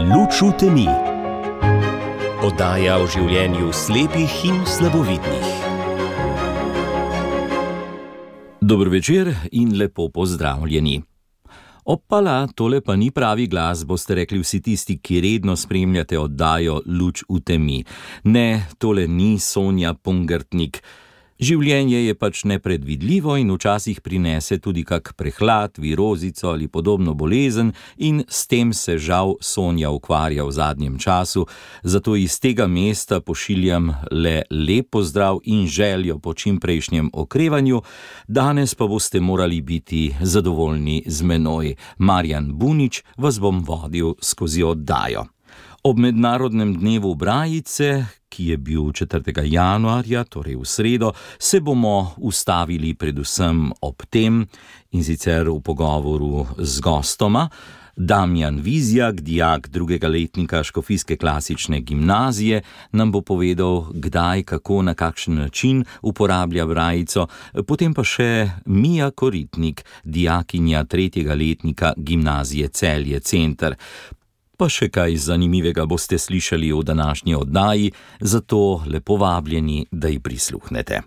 Luč v temi. Oddaja o življenju slepih in slabovidnih. Dober večer in lepo pozdravljeni. Opala, tole pa ni pravi glas, boste rekli vsi tisti, ki redno spremljate oddajo Luč v temi. Ne, tole ni Sonja Pungartnik. Življenje je pač nepredvidljivo in včasih prinese tudi kak prehlad, virozico ali podobno bolezen in s tem se žal Sonja ukvarja v zadnjem času, zato iz tega mesta pošiljam le lep pozdrav in željo po čimprejšnjem okrevanju. Danes pa boste morali biti zadovoljni z menoj. Marjan Bunič vas bom vodil skozi oddajo. Ob mednarodnem dnevu Brajice, ki je bil 4. januarja, torej v sredo, se bomo ustavili predvsem ob tem, in sicer v pogovoru z gostoma. Damjan Vizjak, dijak 2. letnika Škofijske klasične gimnazije, nam bo povedal, kdaj, kako, na kakšen način uporablja brajico, potem pa še Mija Koritnik, dijakinja 3. letnika gimnazije Celje Center. Pa še kaj zanimivega boste slišali v današnji oddaji, zato lepo vabljeni, da ji prisluhnete.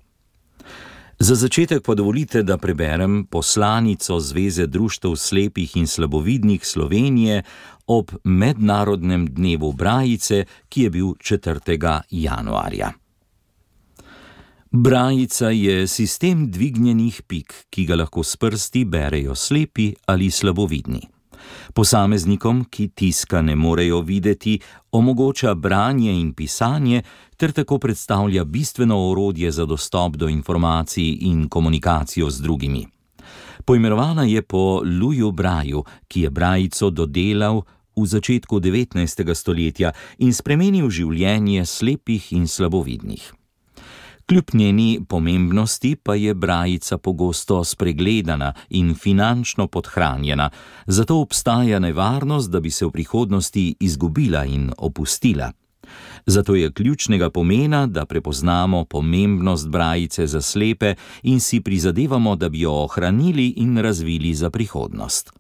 Za začetek pa dovolite, da preberem poslanico Zveze društev slepih in slabovidnih Slovenije ob mednarodnem dnevu Brajice, ki je bil 4. januarja. Brajica je sistem dvignjenih pik, ki ga lahko s prsti berejo slepi ali slabovidni. Posameznikom, ki tiska ne morejo videti, omogoča branje in pisanje ter tako predstavlja bistveno orodje za dostop do informacij in komunikacijo z drugimi. Poimenovana je po Louisu Braillu, ki je brajico dodelal v začetku 19. stoletja in spremenil življenje slepih in slabovidnih. Kljub njeni pomembnosti pa je brajica pogosto spregledana in finančno podhranjena, zato obstaja nevarnost, da bi se v prihodnosti izgubila in opustila. Zato je ključnega pomena, da prepoznamo pomembnost brajice za slepe in si prizadevamo, da bi jo ohranili in razvili za prihodnost.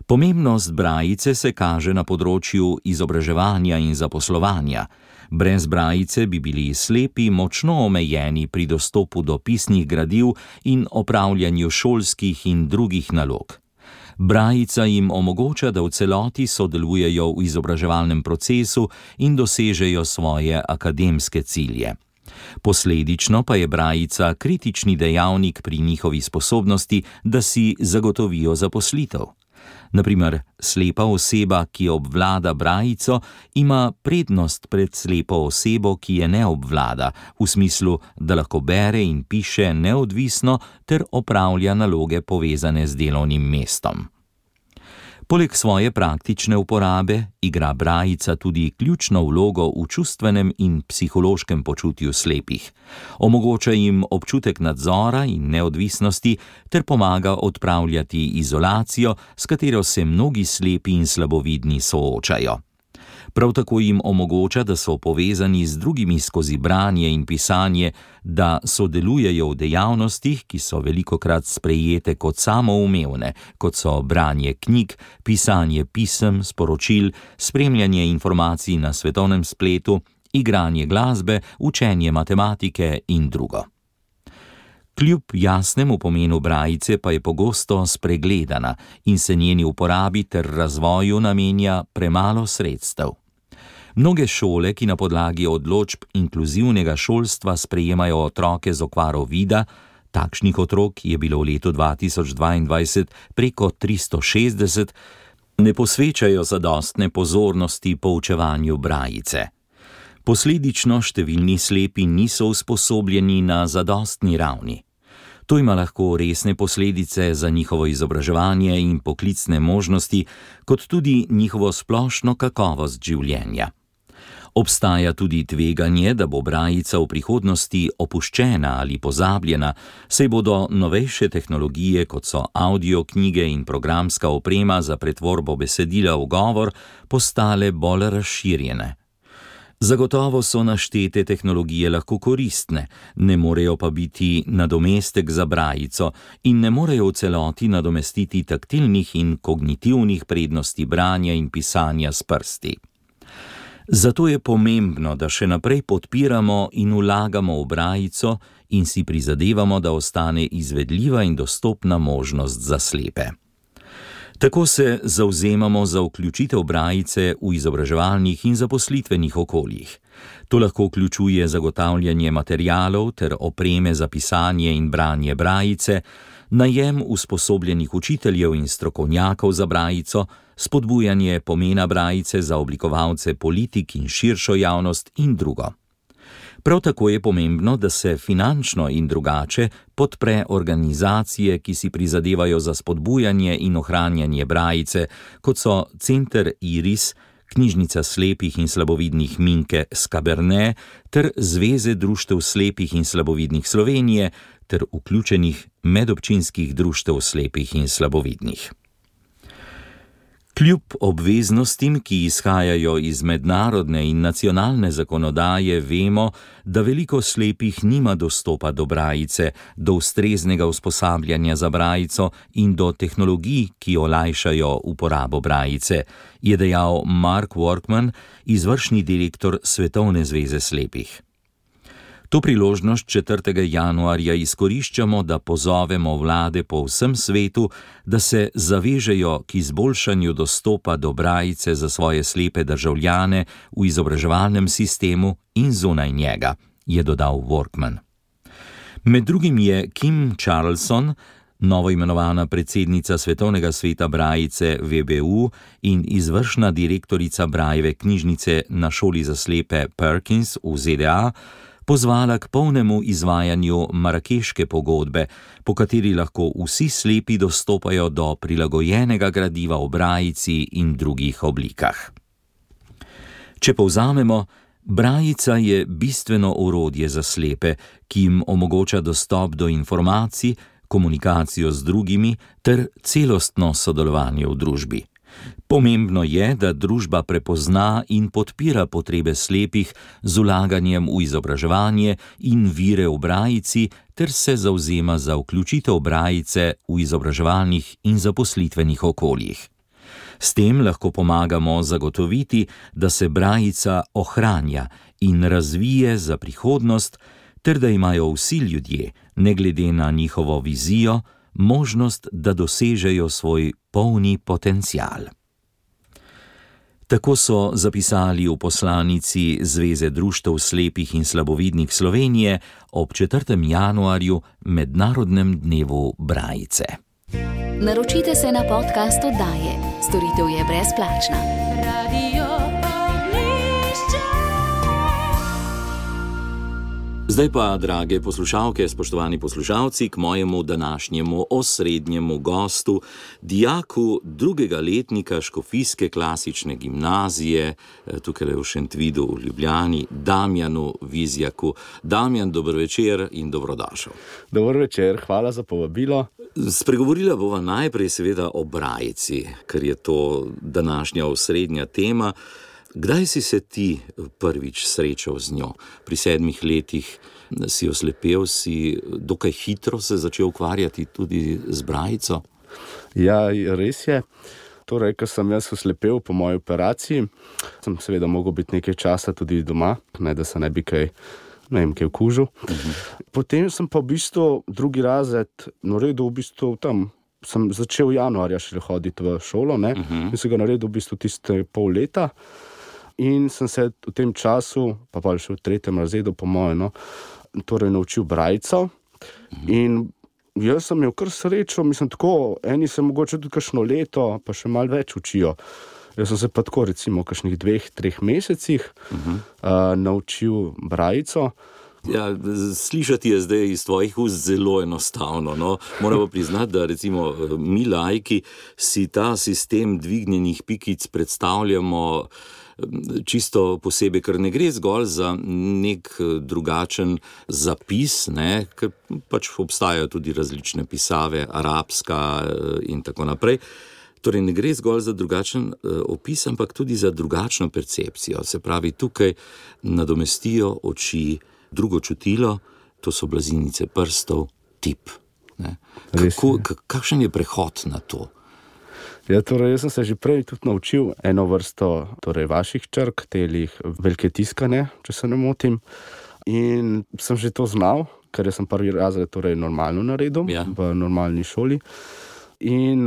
Pomembnost brajice se kaže na področju izobraževanja in zaposlovanja. Brez brajice bi bili slepi močno omejeni pri dostopu do pisnih gradiv in opravljanju šolskih in drugih nalog. Brajica jim omogoča, da v celoti sodelujejo v izobraževalnem procesu in dosežejo svoje akademske cilje. Posledično pa je brajica kritični dejavnik pri njihovi sposobnosti, da si zagotovijo zaposlitev. Naprimer, slepa oseba, ki obvlada brajico, ima prednost pred slepo osebo, ki je ne obvlada, v smislu, da lahko bere in piše neodvisno ter opravlja naloge povezane z delovnim mestom. Poleg svoje praktične uporabe igra brajica tudi ključno vlogo v čustvenem in psihološkem počutju slepih. Omogoča jim občutek nadzora in neodvisnosti ter pomaga odpravljati izolacijo, s katero se mnogi slepi in slabovidni soočajo. Prav tako jim omogoča, da so povezani z drugimi skozi branje in pisanje, da sodelujejo v dejavnostih, ki so velikokrat sprejete kot samoumevne, kot so branje knjig, pisanje pisem, sporočil, spremljanje informacij na svetovnem spletu, igranje glasbe, učenje matematike in drugo. Kljub jasnemu pomenu brajice pa je pogosto spregledana in se njeni uporabi ter razvoju namenja premalo sredstev. Mnoge šole, ki na podlagi odločb inkluzivnega šolstva sprejemajo otroke z okvaro vida, takšnih otrok je bilo v letu 2022 preko 360, ne posvečajo zadostne pozornosti poučevanju brajice. Posledično številni slepi niso usposobljeni na zadostni ravni. To ima lahko resne posledice za njihovo izobraževanje in poklicne možnosti, kot tudi njihovo splošno kakovost življenja. Obstaja tudi tveganje, da bo brajica v prihodnosti opuščena ali pozabljena, saj bodo novejše tehnologije, kot so audioknjige in programska oprema za pretvorbo besedila v govor, postale bolj razširjene. Zagotovo so naštete tehnologije lahko koristne, ne morejo pa biti nadomestek za brajico in ne morejo v celoti nadomestiti taktilnih in kognitivnih prednosti branja in pisanja s prsti. Zato je pomembno, da še naprej podpiramo in vlagamo v brajico in si prizadevamo, da ostane izvedljiva in dostopna možnost za slepe. Tako se zavzemamo za vključitev brajice v izobraževalnih in zaposlitvenih okoljih. To lahko vključuje zagotavljanje materialov ter opreme za pisanje in branje brajice, najem usposobljenih učiteljev in strokovnjakov za brajico, spodbujanje pomena brajice za oblikovalce politik in širšo javnost in drugo. Prav tako je pomembno, da se finančno in drugače podpre organizacije, ki si prizadevajo za spodbujanje in ohranjanje brajice, kot so Center Iris, Knjižnica slepih in slabovidnih Minke Skaberne ter Zveze društev slepih in slabovidnih Slovenije ter vključenih medobčinskih društev slepih in slabovidnih. Kljub obveznostim, ki izhajajo iz mednarodne in nacionalne zakonodaje, vemo, da veliko slepih nima dostopa do brajice, do ustreznega usposabljanja za brajico in do tehnologij, ki olajšajo uporabo brajice, je dejal Mark Workman, izvršni direktor Svetovne zveze slepih. To priložnost 4. januarja izkoriščamo, da pozovemo vlade po vsem svetu, da se zavežejo k izboljšanju dostopa do brajice za svoje slepe državljane v izobraževalnem sistemu in zunaj njega, je dodal Workman. Med drugim je Kim Charlson, novoimenovana predsednica Svetovnega sveta brajice VBU in izvršna direktorica Brailleve knjižnice na šoli za slepe Perkins v ZDA, pozvala k polnemu izvajanju Marakeške pogodbe, po kateri lahko vsi slepi dostopajo do prilagojenega gradiva v brajici in drugih oblikah. Če povzamemo, brajica je bistveno orodje za slepe, ki jim omogoča dostop do informacij, komunikacijo z drugimi ter celostno sodelovanje v družbi. Pomembno je, da družba prepozna in podpira potrebe slepih z vlaganjem v izobraževanje in vire v brajici ter se zavzema za vključitev brajice v izobraževalnih in zaposlitvenih okoljih. S tem lahko pomagamo zagotoviti, da se brajica ohranja in razvije za prihodnost ter da imajo vsi ljudje, ne glede na njihovo vizijo, možnost, da dosežejo svoj polni potencial. Tako so zapisali v poslanici Zveze društev slepih in slabovidnih Slovenije ob 4. januarju, Mednarodnem dnevu brajice. Naročite se na podcast oddaje. Storitev je brezplačna. Zdaj pa, drage poslušalke, spoštovani poslušalci, k mojemu današnjemu osrednjemu gostu, dijaku drugega letnika Škofijske klasične gimnazije, tukaj v Šentvidu v Ljubljani, Damjanu Vizjaku. Damjan, dober večer in dobrodošel. Dober večer, hvala za povabilo. Spregovorila bova najprej seveda o brajici, ker je to današnja osrednja tema. Kdaj si se ti prvič srečal z njo? Pri 7 letih si oslepel, si dokaj hitro se začel ukvarjati tudi z brajico? Ja, res je. Torej, ko sem jaz oslepel po moji operaciji, sem seveda mogel biti nekaj časa tudi doma, ne da se ne bi kaj okužil. Potem sem pa v bistvu drugi razred naredil v bistvu tam. Sem začel januarja šele hoditi v šolo, in sem ga naredil v bistvu tiste pol leta. In sem se v tem času, pa še v 3. razredu po moje, torej naučil brajico. In jaz sem imel kar srečo, mislim tako, eni se mogoče tudi kakšno leto, pa še malo več učijo. Jaz sem se pa tako recimo v kakšnih 2-3 mesecih naučil brajico. Ja, slišati je zdaj iz tvojih ust zelo enostavno, no. Moramo priznati, da recimo mi laiki si ta sistem dvignjenih pikic predstavljamo čisto posebej, ker ne gre zgolj za nek drugačen zapis, ker pač obstajajo tudi različne pisave, arabska in tako naprej. Torej ne gre zgolj za drugačen opis, ampak tudi za drugačno percepcijo. Se pravi, tukaj nadomestijo oči drugo čutilo, to so blazinice prstov, tip. Kakšen je prehod na to? Ja, torej, jaz sem se že prej tudi naučil eno vrsto vaših črk, telih velike tiskane, če se ne motim. In sem že to znal, ker sem prvi razred normalno naredil, v normalni šoli. In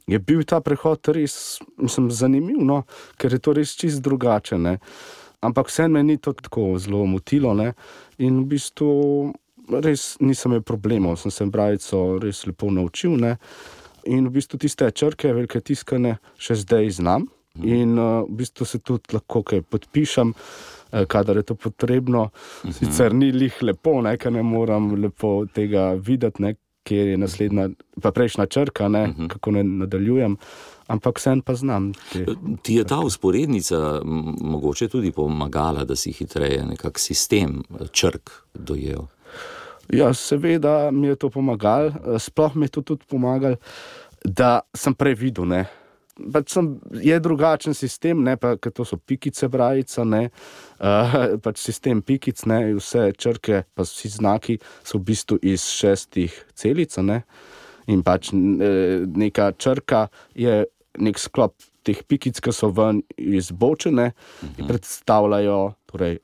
je bil ta prehod res, zanimiv, no, ker je to res čisto drugače, ne. Ampak vseeno me ni to tako zelo motilo, ne. In v bistvu res nisem imel problemov, sem se brajico res lepo naučil, ne. In v bistvu tiste črke, velike tiskane, še zdaj znam. In v bistvu se tudi lahko kaj podpišem, kadar je to potrebno. Sicer ni lih lepo, ne, ker ne moram lepo tega videti, ne, kjer je naslednja, pa prejšnja črka, ne, kako ne nadaljujem. Ampak vseeno pa znam. Ti je ta vzporednica mogoče tudi pomagala, da si hitreje nekak sistem črk dojel? Ja, seveda mi je to pomagalo, sploh mi je to tudi pomagalo, da sem prej videl, ne. Pač je drugačen sistem, ne, pa ker to so pikice brajica, ne, pač sistem pikic, ne, vse črke, pa vsi znaki so v bistvu iz 6 celic, ne, in pač neka črka je nek sklop teh pikic, ki so ven izbočene in predstavljajo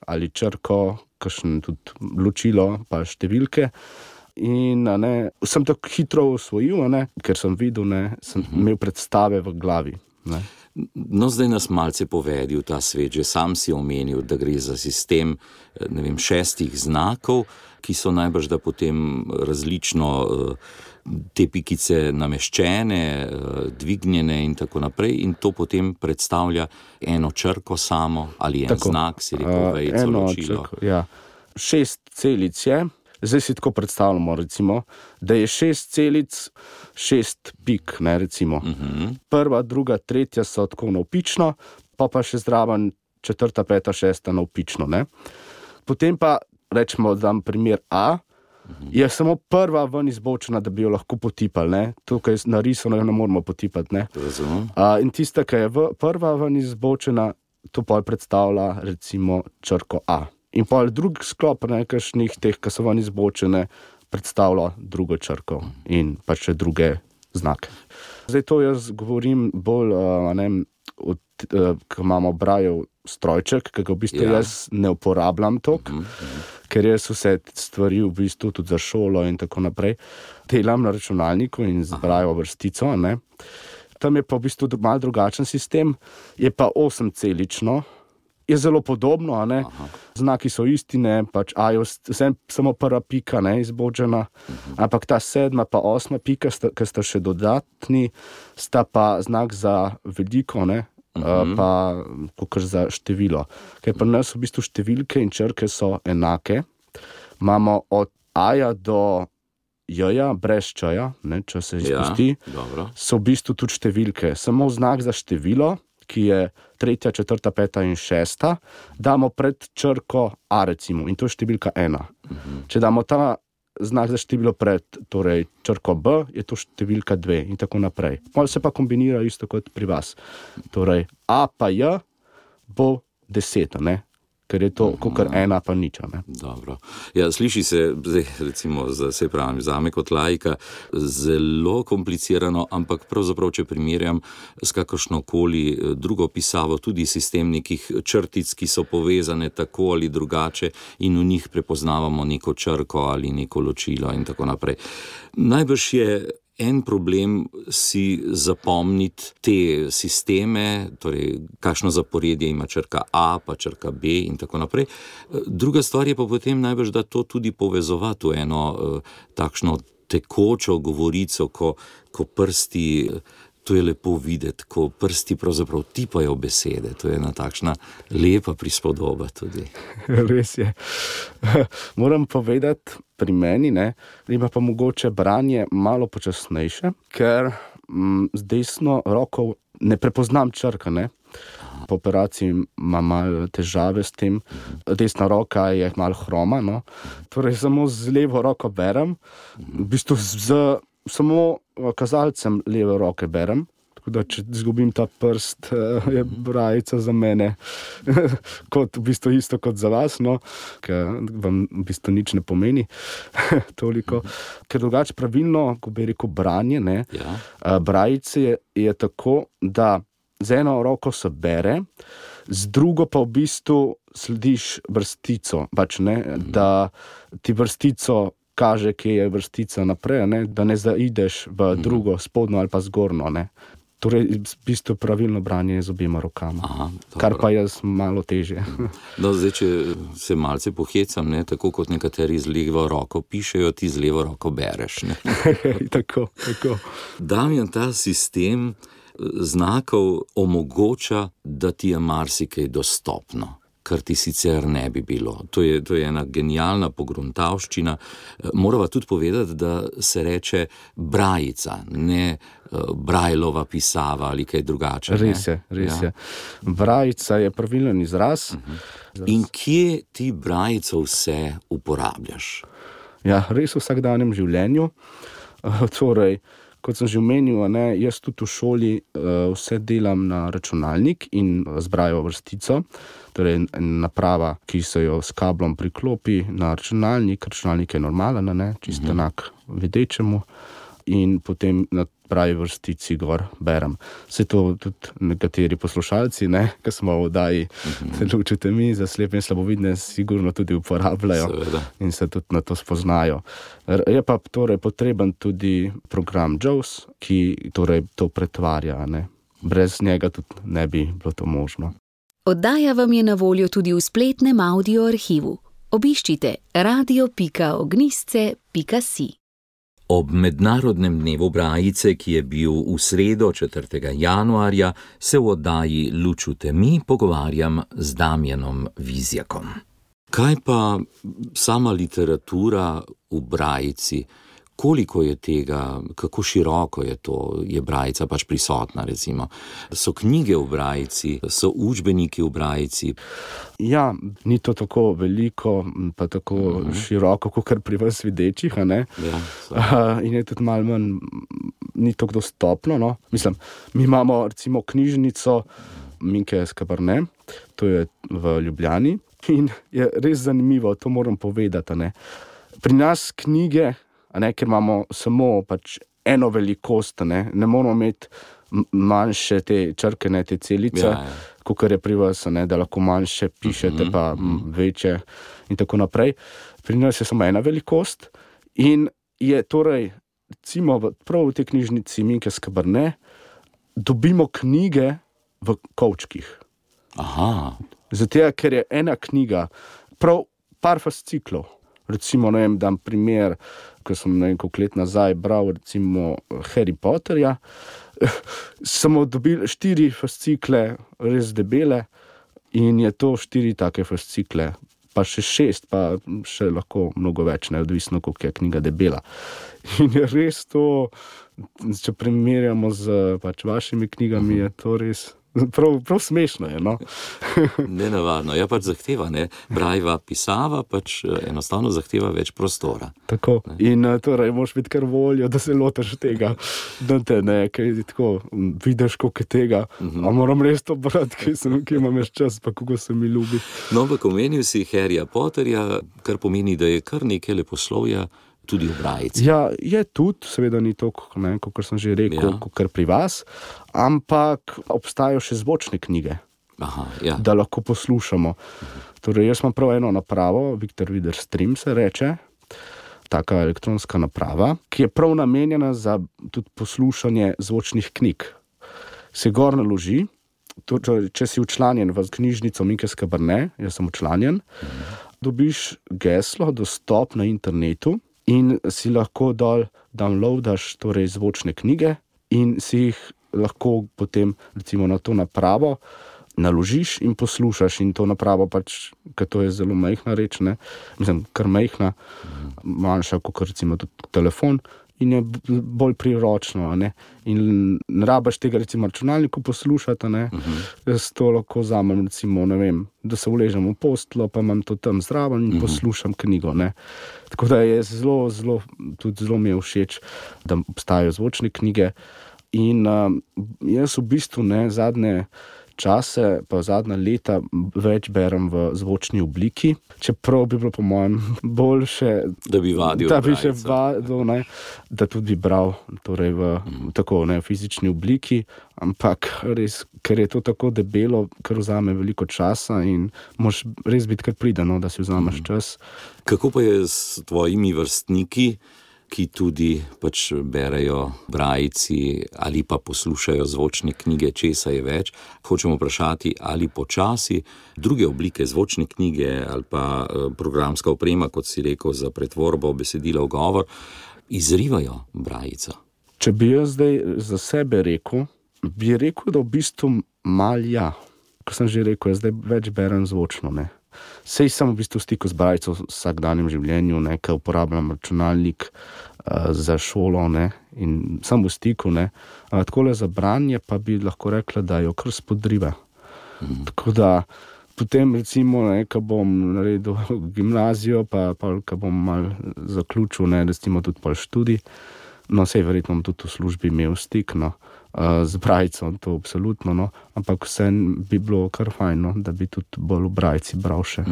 ali črko, kakšen tudi ločilo, pa številke. In sem tako hitro osvojil, ker sem videl, sem imel predstave v glavi. Ne. No, zdaj nas malce povedi v ta svet, že sam si omenil, da gre za sistem 6 znakov, ki so najbrž da potem različno te pikice nameščene, dvignjene in tako naprej, in to potem predstavlja eno črko samo ali en znak, si rekel, vejico, ločilo. Ja. 6 celic je, zdaj si tako predstavljamo, recimo, da je 6 celic, 6 pik, ne, recimo. Prva, druga, tretja so tako navpično, pa še zraven 4., 5., 6. navpično, ne. Potem pa, rečemo, dam primer A, je samo prva ven izbočena, da bi jo lahko potipali, ne. Tukaj narisano jo ne moramo potipati, ne. In tista, ki je prva ven izbočena, to pol predstavlja, recimo, črko A. In pol drug sklop nekakšnih teh, ki so ven izbočene, predstavlja drugo črko in pa še druge znake. Zdaj to jaz govorim bolj, ko imamo brajev strojček, ki ga v bistvu jaz ne uporabljam toliko, ker jaz vse stvari v bistvu tudi za šolo in tako naprej delam na računalniku in z brajevo vrstico, ne. Tam je pa v bistvu malo drugačen sistem, je pa 8-celično, je zelo podobno, ne. Znaki so isti, ne, pač A je samo prva pika, ne, izbočena, ampak ta 7. pa 8. pika, ki sta še dodatni, sta pa znak za veliko, ne, pa kakor za število. Ker pri nas v bistvu številke in črke so enake. Imamo od A-ja do J-ja, brez Č-ja, ne, če se izpusti, so v bistvu tudi številke. Samo znak za število, ki je 3., 4., 5. in 6., damo pred črko A, recimo, in to je številka 1. Če damo ta znak za število pred črko B, je to številka 2 in tako naprej. Malo se pa kombinira isto kot pri vas. Torej, A pa J bo 10, ne? Ker je to kakor 1 pa nič, ne? Dobro. Ja, sliši se, zdaj, recimo, zame kot laika, zelo komplicirano, ampak pravzaprav, če primerjam s kakršnokoli drugo pisavo, tudi sistem nekih črtic, ki so povezane tako ali drugače in v njih prepoznavamo neko črko ali neko ločilo in tako naprej. Najbrž je en problem si zapomniti te sisteme, torej kakšno zaporedje ima črka A, pa črka B in tako naprej. Druga stvar je pa potem najbrž, da to tudi povezovati v eno takšno tekočo govorico, ko prsti, to je lepo videti, ko prsti pravzaprav tipajo besede. To je ena takšna lepa prispodoba tudi. Res je. Moram povedati, pri meni, ne, ima pa mogoče branje malo počasnejše, ker z desno roko ne prepoznam črka, ne. Po operaciji imam malo težave s tem. Desna roka je malo hroma, no. Torej samo z levo roko berem, v bistvu samo kazalcem leve roke berem, Tako da, če izgubim ta prst, je brajica za mene kot v bistvu isto kot za vas, no, ker vam v bistvu nič ne pomeni toliko. Ker drugače pravilno, ko bi rekel branje, ne, brajice je tako, da z eno roko se bere, z drugo pa v bistvu slediš vrstico, pač ne, da ti vrstico kaže, kje je vrstica naprej, ne, da ne zaideš v drugo, spodno ali pa zgornjo, ne. Torej, v bistvu pravilno branje z obema rokama. Aha, kar pa jaz malo težje. No, zdaj, če se malce pohecam, ne, tako kot nekateri z levo roko pišejo, ti z levo roko bereš. Ne. Tako. Damjan, ta sistem znakov omogoča, da ti je marsikaj dostopno, kar ti sicer ne bi bilo. To je ena genialna pogruntavščina. Morava tudi povedati, da se reče brajica, ne Brajlova pisava ali kaj drugače. Res je. Brajica je pravilen izraz. In kje ti brajico vse uporabljaš? Ja, res v vsakdanjem življenju. Torej, kot sem že omenil, ne, jaz tudi v šoli vse delam na računalnik in z Braillovo vrstico. Torej, naprava, ki se jo s kablom priklopi na računalnik. Računalnik je normalen, ne, čisto enak videčemu. In potem na Braillovi vrstici gor berem. Vse to tudi nekateri poslušalci, ne, ki smo v oddaji Lučite mi za slepe in slabovidne, sigurno tudi uporabljajo. Seveda. In se tudi na to spoznajo. Je pa torej potreben tudi program JAWS, ki torej to pretvarja, ne. Brez njega tudi ne bi bilo to možno. Oddaja vam je na voljo tudi v spletnem audio arhivu. Obiščite radio.ognisce.si. Ob mednarodnem dnevu brajice, ki je bil v sredo 4. januarja, se v oddaji Lučute mi pogovarjam z Damjanom Vizjakom. Kaj pa sama literatura v brajici? Koliko je tega, kako široko je to, je brajica pač prisotna, recimo? So knjige v brajici, so učbeniki v brajici? Ja, ni to tako veliko, pa tako široko, kot pri vas videčih, a ne? Ja, in je tudi malo manj, ni tako dostopno, no. Mislim, mi imamo recimo knjižnico Minke Skabarne, to je v Ljubljani, in je res zanimivo, to moram povedati, a ne. Pri nas knjige, a ne, ker imamo samo pač eno velikost, ne moramo imeti manjše te črke, ne, te celice, kakor je pri vas, ne, da lahko manjše pišete, pa večje in tako naprej. Pri nas je samo ena velikost in je torej, recimo, prav v tej knjižnici Minke Skabarne dobimo knjige v kovčkih. Aha. Zato, ker je ena knjiga, prav par fasciklov. Recimo, ne vem, dam primer, ko sem koliko let nazaj bral recimo Harry Potterja, smo dobili 4 fascikle res debele in je to 4 take fascikle, pa še 6, pa še lahko mnogo več, neodvisno, koliko je knjiga debela. In je res to, če primerjamo z pač vašimi knjigami, je to res prav smešno je, no. Nenavadno, ja, pač zahteva, ne, Braillova pisava pač enostavno zahteva več prostora. Tako, in torej moraš biti kar voljo, da se lotaš tega, da te ne, kaj tako vidiš, koliko je tega, a moram res to brati, ki imam več čas, pa kako se mi ljubi. No, ampak omenil si Harryja Potterja, kar pomeni, da je kar nekaj leposlovja tudi v brajici. Ja, je tudi, seveda ni to, kot sem že rekel, kot pri vas, ampak obstajajo še zvočne knjige. Aha, ja. Da lahko poslušamo. Torej, jaz imam prav eno napravo, Victor Reader Stream se reče, taka elektronska naprava, ki je prav namenjena za tudi poslušanje zvočnih knjig. Se gor naloži, če si včlanjen v knjižnico Minke Skabarne, jaz sem včlanjen, dobiš geslo, dostop na internetu, in si lahko dol downloadaš torej zvočne knjige in si jih lahko potem recimo na to napravo naložiš in poslušaš in to napravo pač, ker to je zelo majhna reč, ne, mislim, kar majhna, manjša kot recimo tudi telefon in je bolj priročno, ne, in ne rabiš tega recimo računalniku poslušati, ne, jaz to lahko vzamem recimo, ne vem, da se uležem v posteljo, pa imam to tam zraven in poslušam knjigo, ne. Tako da je zelo mi je všeč, da obstajajo zvočne knjige In jaz v bistvu zadnje čase, pa zadnja leta več berem v zvočni obliki, čeprav bi bilo po mojem boljše, da bi vadil da bi še brajca. vadil, da tudi bi bral torej v tako fizični obliki, ampak res, ker je to tako debelo, ker vzame veliko časa in moraš res biti kar priden, da si vzameš čas. Kako pa je s tvojimi vrstniki, ki tudi pač berejo brajci ali pa poslušajo zvočne knjige, česa je več? Hočemo vprašati, ali počasi druge oblike zvočne knjige ali pa programska oprema, kot si rekel, za pretvorbo besedila v govor, izrivajo brajca? Če bi jaz zdaj za sebe rekel, bi rekel, da v bistvu mal ja. Ko sem že rekel, jaz zdaj več berem zvočno, Sej sem v bistvu v stiku z brajco v vsakdanjem življenju, ker uporabljam računalnik za šolo, in sem v stiku, Takole za branje pa bi lahko rekla, da jo kar spodriva. Tako da potem recimo, ko bom naredil gimnazijo, pa ko bom malo zaključil, recimo tudi pol študij, sej verjetno bom tudi v službi imel stik, z brajco, to absolutno, ampak vseeno bi bilo kar fajn, da bi tudi bolj v brajci bral še.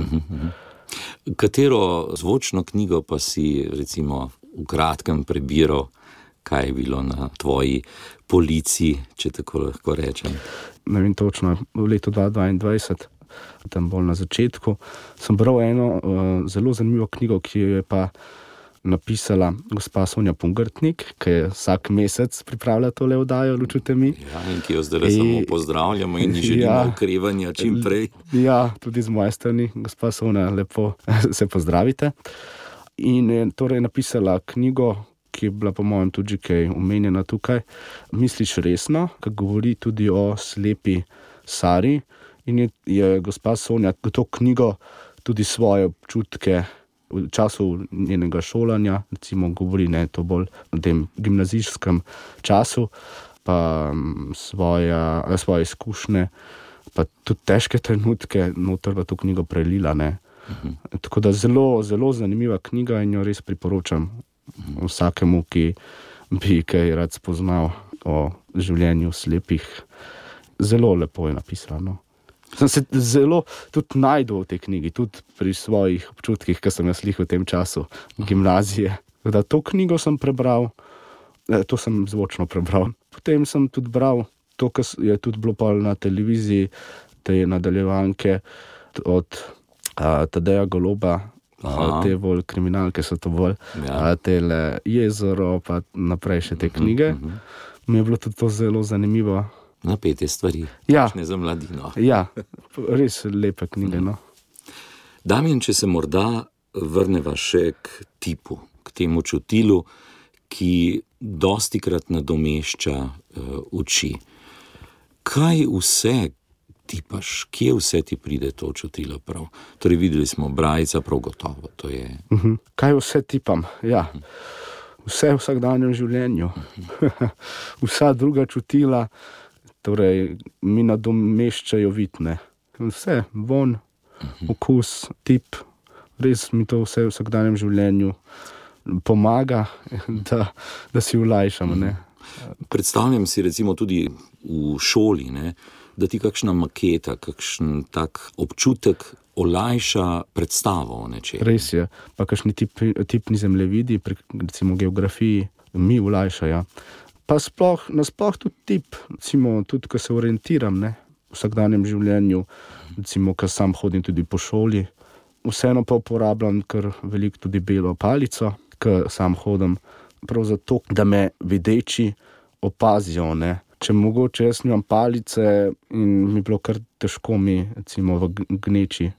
Katero zvočno knjigo pa si recimo v kratkem prebiral, kaj je bilo na tvoji polici, če tako lahko rečem? Ne vem točno, v letu 2022, tam bolj na začetku, sem bral eno zelo zanimivo knjigo, ki jo je pa napisala gospa Sonja Pungartnik, ki je vsak mesec pripravlja tole oddajo, Lučute mi. Ja, in ki jo zdaj samo pozdravljamo in ji želimo okrevanja čim prej. Ja, tudi z moje strani, gospa Sonja, lepo se pozdravite. In je torej napisala knjigo, ki je bila po mojem tudi kaj omenjena tukaj, Misliš resno, ki govori tudi o slepi Sari, in je gospa Sonja to knjigo tudi svoje občutke v času njenega šolanja, recimo govori, to bolj v tem gimnazijskem času, pa svoje izkušnje, pa tudi težke trenutke noter v to knjigo prelila, Tako da zelo, zelo zanimiva knjiga in jo res priporočam vsakemu, ki bi kaj rad spoznal o življenju slepih. Zelo lepo je napisano. Sem se zelo tudi najdel v tej knjigi, tudi pri svojih občutkih, ki sem jaz v tem času gimnazije. Da to knjigo sem prebral, to sem zvočno prebral. Potem sem tudi bral to, kar je tudi bilo pa na televiziji, te nadaljevanke od Tadeja Goloba, te bolj kriminalke so to bolj, tele Jezero, pa naprej še te knjige. Mi je bilo tudi to zelo zanimivo. Napete stvari, ja. Takšne za mladino. Ja, res lepe knjige, Damjan, če se morda vrneva še k tipu, k temu čutilu, ki dostikrat nadomešča oči. Kaj vse tipaš, kje vse ti pride to čutilo prav? Torej videli smo brajca, prav gotovo, to je... Kaj vse tipam? Ja, vse v vsakdanjem življenju. Vsa druga čutila, torej mi nadomeščajo vidne. Vse, von, okus, tip, res mi to vse v vsakdanjem življenju pomaga, da si olajšam, Predstavljam si recimo tudi v šoli, da ti kakšna maketa, kakšen tak občutek olajša predstavo o nečem. Res je, pa kakšni tipni zemljevidi, recimo geografiji, mi olajšajo. Pa nasploh tudi tip, recimo tudi, ko se orientiram, v vsakdanjem življenju, recimo, ko sam hodim tudi po šoli, vseeno pa uporabljam kar veliko tudi belo palico, ko sam hodim, prav zato, da me videči opazijo, Če mogoče jaz nimam palice in mi bilo kar težko recimo v gneči,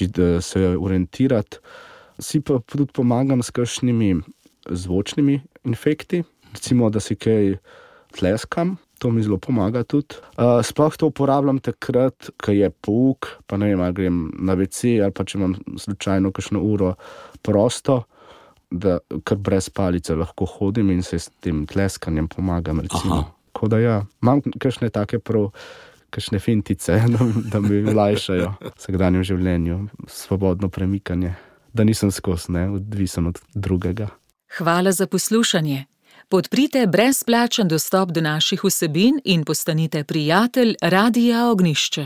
da se orientirati, si pa tudi pomagam s kakšnimi zvočnimi efekti, recimo, da si kaj tleskam, to mi zelo pomaga tudi. Sploh to uporabljam takrat, ko je pouk, pa ne vem, ali grem na WC, ali pa če imam slučajno kakšno uro prosto, da kar brez palice lahko hodim in se s tem tleskanjem pomagam, recimo. Tako da ja, imam kakšne take kakšne fintice, da mi olajšajo v vsakdanjem življenju, svobodno premikanje, da nisem skozi, odvisen od drugega. Hvala za poslušanje. Podprite brezplačen dostop do naših vsebin in postanite prijatelj Radia Ognjišče.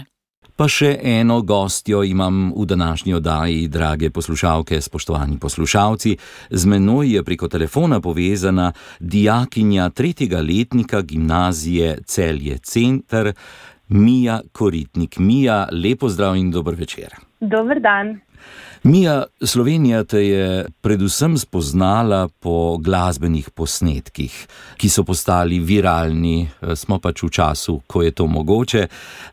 Pa še eno gostjo imam v današnji oddaji, drage poslušalke, spoštovani poslušalci. Z menoj je preko telefona povezana dijakinja 3. letnika gimnazije Celje Center, Mija Koritnik. Mija, lep pozdrav in dober večer. Dober dan. Mija, Slovenija te je predvsem spoznala po glasbenih posnetkih, ki so postali viralni. Smo pač v času, ko je to mogoče.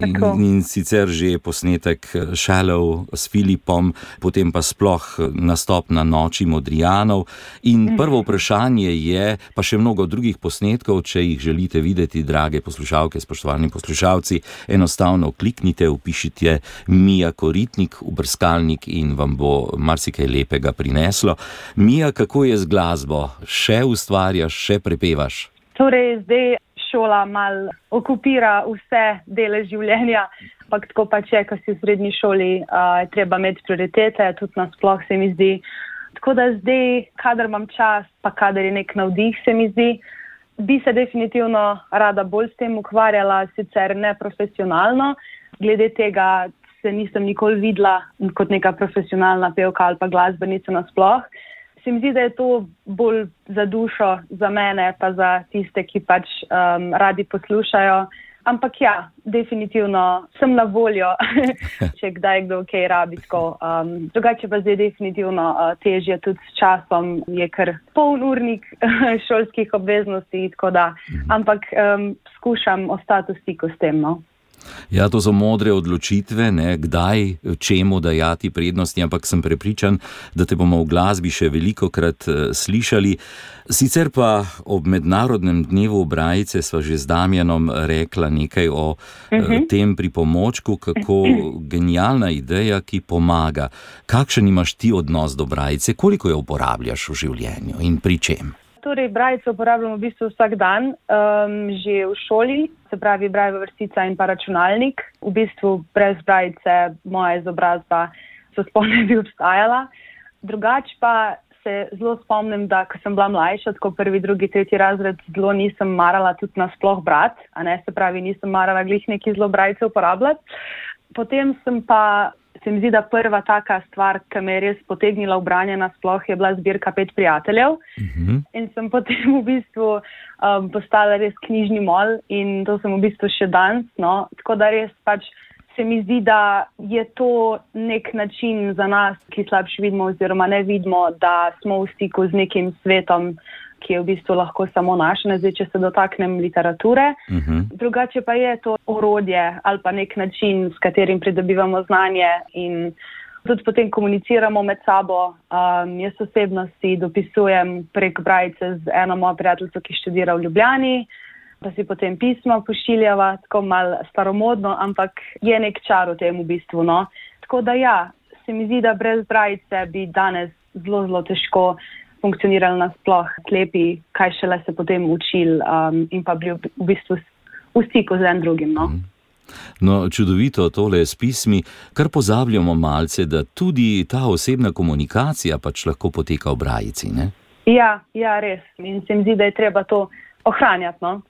In sicer že posnetek Shallow s Filipom, potem pa sploh nastop na Noči Modrijanov. In prvo vprašanje je, pa še mnogo drugih posnetkov, če jih želite videti, drage poslušalke, spoštovani poslušalci, enostavno kliknite, vpišite Mija Koritnik v brskalnik in vam bo marsikaj lepega prineslo. Mija, kako je z glasbo? Še ustvarjaš, še prepevaš? Torej, zdaj šola malo okupira vse dele življenja, ampak tako pač je, ko si v srednji šoli, je treba imeti prioritete, tudi nasploh se mi zdi. Tako da zdaj, kadar imam čas, pa kadar je nek navdih, se mi zdi, bi se definitivno rada bolj s tem ukvarjala, sicer ne profesionalno, glede tega se nisem nikoli videla kot neka profesionalna pevka ali pa glasbenica nasploh. Se mi zdi, da je to bolj za dušo, za mene, pa za tiste, ki pač radi poslušajo. Ampak ja, definitivno sem na voljo, če kdaj kdo kaj rabi tako. Drugače pa zdaj definitivno težje tudi s časom, je kar poln urnik šolskih obveznosti, tako da. Ampak skušam ostati v stiku s tem, no. Ja, to so modre odločitve, ne, kdaj, čemu dajati prednosti, ampak sem prepričan, da te bomo v glasbi še velikokrat slišali. Sicer pa ob Mednarodnem dnevu Brajice sva že z Damjanom rekla nekaj o tem pripomočku, kako genialna ideja, ki pomaga. Kakšen imaš ti odnos do Brajice? Koliko jo uporabljaš v življenju in pri čem? Torej, Brajico uporabljam v bistvu vsak dan, že v šoli, se pravi Brajeva vrstica in pa računalnik. V bistvu brez Brajice moja izobrazba se sploh ne bi obstajala. Drugač pa se zelo spomnim, da ko sem bila mlajša, tako 1., 2., 3. razred, zelo nisem marala tudi nasploh brat, a ne, se pravi nisem marala glih neki zelo Brajice uporabljati. Potem se mi zdi, da prva taka stvar, ki me je res potegnila v branje nasploh, je bila zbirka 5 prijateljev. In sem potem v bistvu postala res knjižni mol in to sem v bistvu še danes, no. Tako da res pač se mi zdi, da je to nek način za nas, ki slabše vidimo oziroma ne vidimo, da smo v stiku z nekim svetom, ki je v bistvu lahko samo naš, ne zdaj, če se dotaknem literature. Drugače pa je to orodje ali pa nek način, s katerim pridobivamo znanje in tudi potem komuniciramo med sabo. Jaz osebno si dopisujem prek Brajice z eno mojo prijateljico, ki študira v Ljubljani, pa si potem pisma pošiljava, tako malo staromodno, ampak je nek čar v tem v bistvu, no. Tako da ja, se mi zdi, da brez Brajice bi danes zelo, zelo težko funkcionirali nasploh slepi, kaj šele se potem učili in pa bili v bistvu v stiku z en drugim, no. No, čudovito tole s pismi, kar pozabljamo malce, da tudi ta osebna komunikacija pač lahko poteka v Brajici, ne? Ja, res. In se mi zdi, da je treba to ohranjati, no.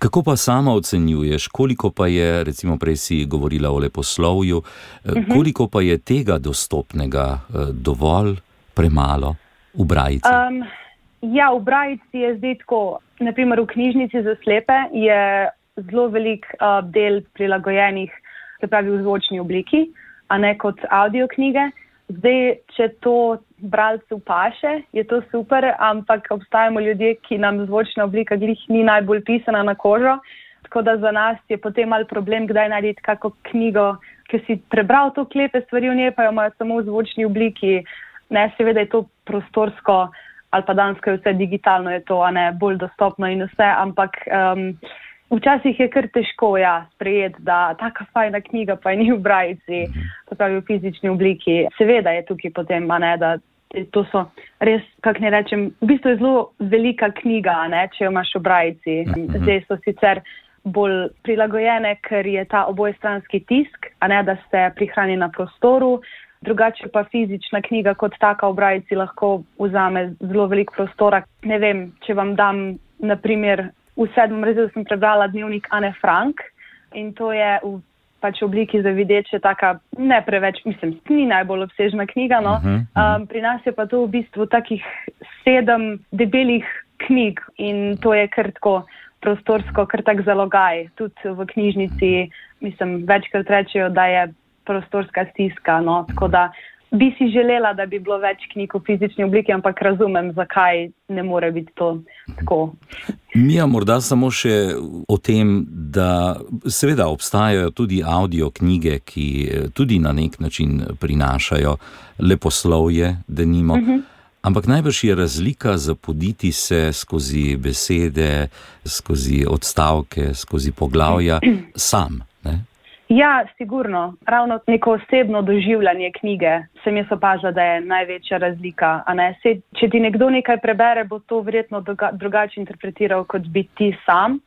Kako pa sama ocenjuješ, koliko pa je, recimo prej si govorila o leposlovju, koliko pa je tega dostopnega dovolj, premalo v Brajici? Ja, v Brajici je zdaj tako, naprimer v knjižnici za slepe je zelo velik del prilagojenih, se pravi v zvočni obliki, a ne kot audio knjige. Zdaj, če to bralcu paše, je to super, ampak obstajamo ljudje, ki nam zvočna oblika glih ni najbolj pisana na kožo, tako da za nas je potem malo problem, kdaj narediti kako knjigo, ki si prebral to klepe stvari v njej, pa jo imajo samo v zvočni obliki. Ne, seveda je to prostorsko, ali pa dansko je vse digitalno, je to, a ne, bolj dostopno in vse, ampak včasih je kar težko, ja, sprejeti, da taka fajna knjiga pa je ni v Brajici, to pravi v fizični obliki. Seveda je tukaj potem, a ne, da to so res, kako ne rečem, v bistvu je zelo velika knjiga, a ne, če jo imaš v Brajici. Zdaj so sicer bolj prilagojene, ker je ta obojestranski tisk, a ne, da se prihrani na prostoru. Drugače pa fizična knjiga kot taka v Brajici lahko vzame zelo veliko prostora. Ne vem, če vam dam naprimer v 7. razredu sem prebrala dnevnik Ane Frank in to je v obliki za videče taka ne preveč, ni najbolj obsežna knjiga, no. Pri nas je pa to v bistvu takih 7 debelih knjig in to je kar tako prostorsko, kar tak zalogaj. Tudi v knjižnici, večkrat rečejo, da je prostorska stiska, no, tako da bi si želela, da bi bilo več knjig v fizični obliki, ampak razumem, zakaj ne more biti to tako. Mija, morda samo še o tem, da seveda obstajajo tudi audio knjige, ki tudi na nek način prinašajo leposlovje, denimo. Ampak najbrž je razlika zapoditi se skozi besede, skozi odstavke, skozi poglavja sam, ne? Ja, sigurno. Ravno neko osebno doživljanje knjige sem jaz opazila, da je največja razlika. A ne? Če ti nekdo nekaj prebere, bo to verjetno drugače interpretiral, kot bi ti sam.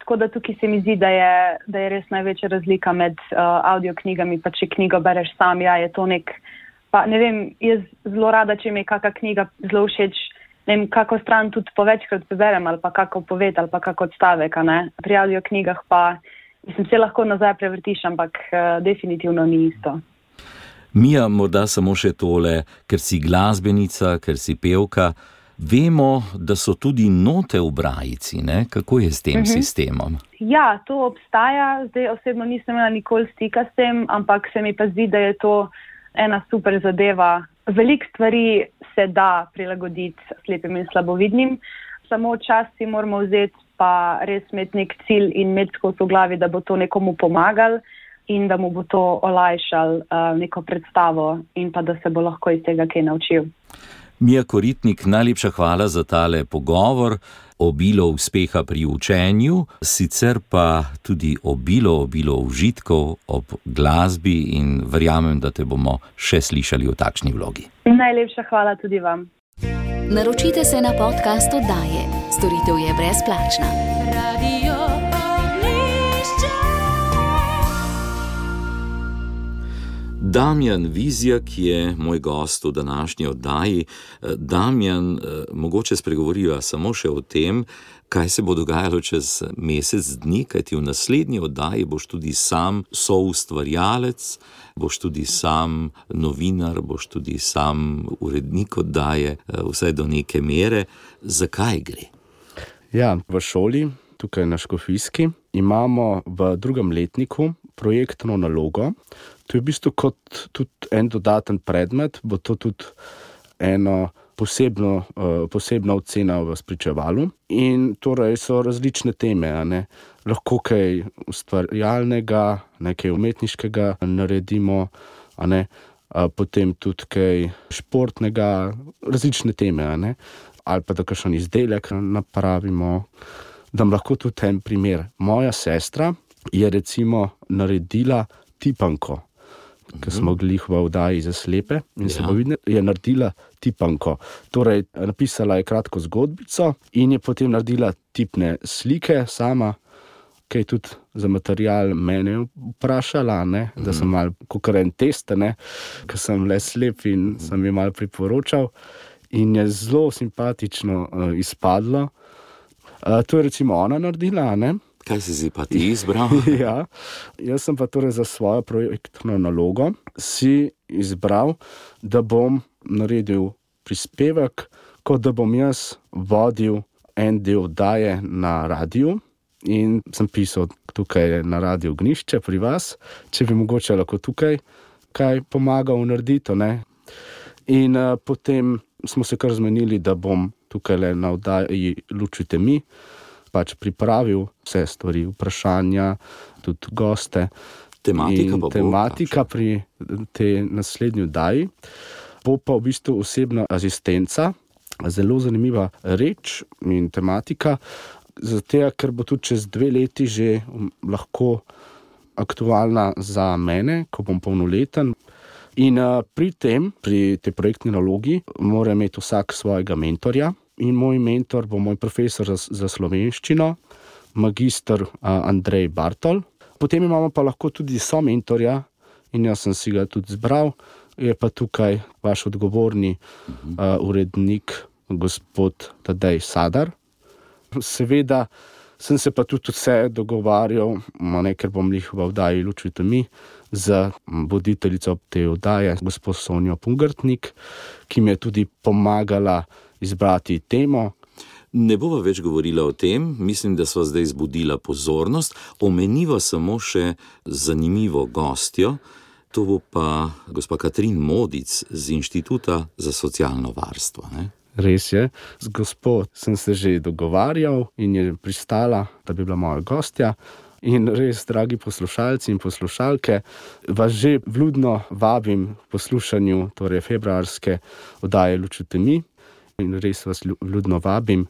Tako da tukaj se mi zdi, da je res največja razlika med audio knjigami, pa če knjigo bereš sam, ja, je to pa ne vem, jaz zelo rada, če mi je kakšna knjiga zelo všeč, ne vem, kako stran tudi povečkrat preberem, ali pa kako poved, ali pa kako odstavek, a ne. Pri audio knjigah pa se lahko nazaj prevrtiš, ampak definitivno ni isto. Mija, morda samo še tole, ker si glasbenica, ker si pevka, vemo, da so tudi note v brajici, ne? Kako je s tem sistemom? Ja, to obstaja. Zdaj osebno nisem imela nikoli stika s tem, ampak se mi pa zdi, da je to ena super zadeva. Veliko stvari se da prilagoditi slepim in slabovidnim, samo čas si moramo vzeti pa res imeti nek cilj in imeti skozi v glavi, da bo to nekomu pomagal in da mu bo to olajšal neko predstavo in pa da se bo lahko iz tega kaj naučil. Mija Koritnik, najlepša hvala za tale pogovor, obilo uspeha pri učenju, sicer pa tudi obilo užitkov ob glasbi in verjamem, da te bomo še slišali v takšni vlogi. Najlepša hvala tudi vam. Naročite se na podcast oddaje. Storitev je brezplačna. Radio Oglišče. Damjan Vizjak je moj gost v današnji oddaji. Damjan, mogoče spregovoriva samo še o tem, kaj se bo dogajalo čez mesec dni, kajti v naslednji oddaji boš tudi sam soustvarjalec, boš tudi sam novinar, boš tudi sam urednik oddaje, vsaj do neke mere. Zakaj gre? Ja, v šoli, tukaj na Škofijski, imamo v 2. letniku projektno nalogo. To je v bistvu kot tudi en dodaten predmet, bo to tudi eno posebna ocena v spričevalu. In torej so različne teme, a ne. Lahko kaj ustvarjalnega, nekaj umetniškega naredimo, a ne. Potem tudi kaj športnega, različne teme, a ne. Ali pa da kakšen izdelek napravimo. Dam lahko tudi en primer. Moja sestra je recimo naredila tipanko, ker smo glih v oddaji za slepe in slabovidne, je naredila tipanko. Torej, napisala je kratko zgodbico in je potem naredila tipne slike sama, kaj tudi za material mene vprašala, ne, da sem malo kakor en test, ne, ker sem le slep in sem jo malo priporočal in je zelo simpatično izpadlo. To je recimo ona naredila, ne. Kaj si pa ti izbral? Ja, jaz sem pa torej za svojo projektno nalogo si izbral, da bom naredil prispevek, kot da bom jaz vodil en del oddaje na radiju in sem pisal tukaj na Radiu Ognjišče pri vas, če bi mogoče lahko tukaj kaj pomagal narediti, ne. In potem smo se kar zmenili, da bom tukaj na oddaji Lučujte mi pač pripravil vse stvari, vprašanja, tudi goste. Tematika pri tej naslednji oddaji bo pa v bistvu osebna asistenca, zelo zanimiva reč in tematika, zato ker bo tudi čez 2 leti že lahko aktualna za mene, ko bom polnoleten. In pri tej projektni nalogi mora imeti vsak svojega mentorja. In moj mentor bo moj profesor za slovenščino, magister Andrej Bartol. Potem imamo pa lahko tudi somentorja in jaz sem si ga tudi zbral. Je pa tukaj vaš odgovorni urednik, gospod Tadej Sadar. Seveda sem se pa tudi vse dogovarjal, ker bom jih v oddaji Luč v temi, z voditeljico te oddaje, gospod Sonjo Pungartnik, ki mi je tudi pomagala izbrati temo. Ne bova več govorila o tem, mislim, da sva zdaj zbudila pozornost. Omeniva samo še zanimivo gostjo, to bo pa gospa Katrin Modic z Inštituta za socialno varstvo. Ne? Res je, z gospod sem se že dogovarjal in je pristala, da bi bila moja gostja. In res, dragi poslušalci in poslušalke, vas že vljudno vabim k poslušanju februarske oddaje Luč v temi in res vas vljudno vabim,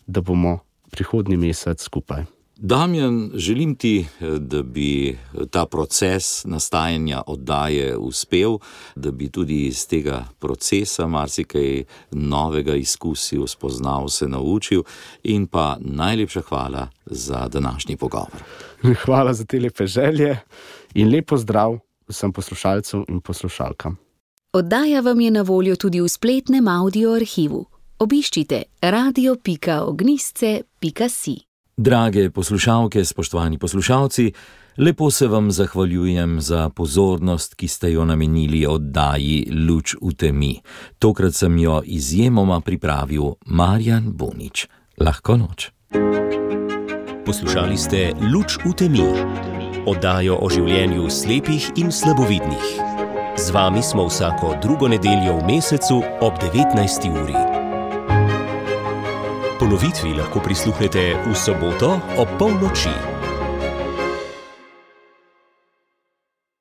da bomo prihodnji mesec skupaj. Damjan, želim ti, da bi ta proces nastajanja oddaje uspel, da bi tudi iz tega procesa marsikaj novega izkusil, spoznal, se naučil in pa najlepša hvala za današnji pogovor. Hvala za te lepe želje in lep pozdrav vsem poslušalcem in poslušalkam. Oddaja vam je na voljo tudi v spletnem audio arhivu. Obiščite radio.ognistce.si. Drage poslušalke, spoštovani poslušalci, lepo se vam zahvaljujem za pozornost, ki ste jo namenili oddaji Luč v temi. Tokrat sem jo izjemoma pripravil Marjan Bonič. Lahko noč. Poslušali ste Luč v temi, oddajo o življenju slepih in slabovidnih. Z vami smo vsako drugo nedeljo v mesecu ob 19. uri. Ponovitvi lahko prisluhnete v soboto ob polnoči.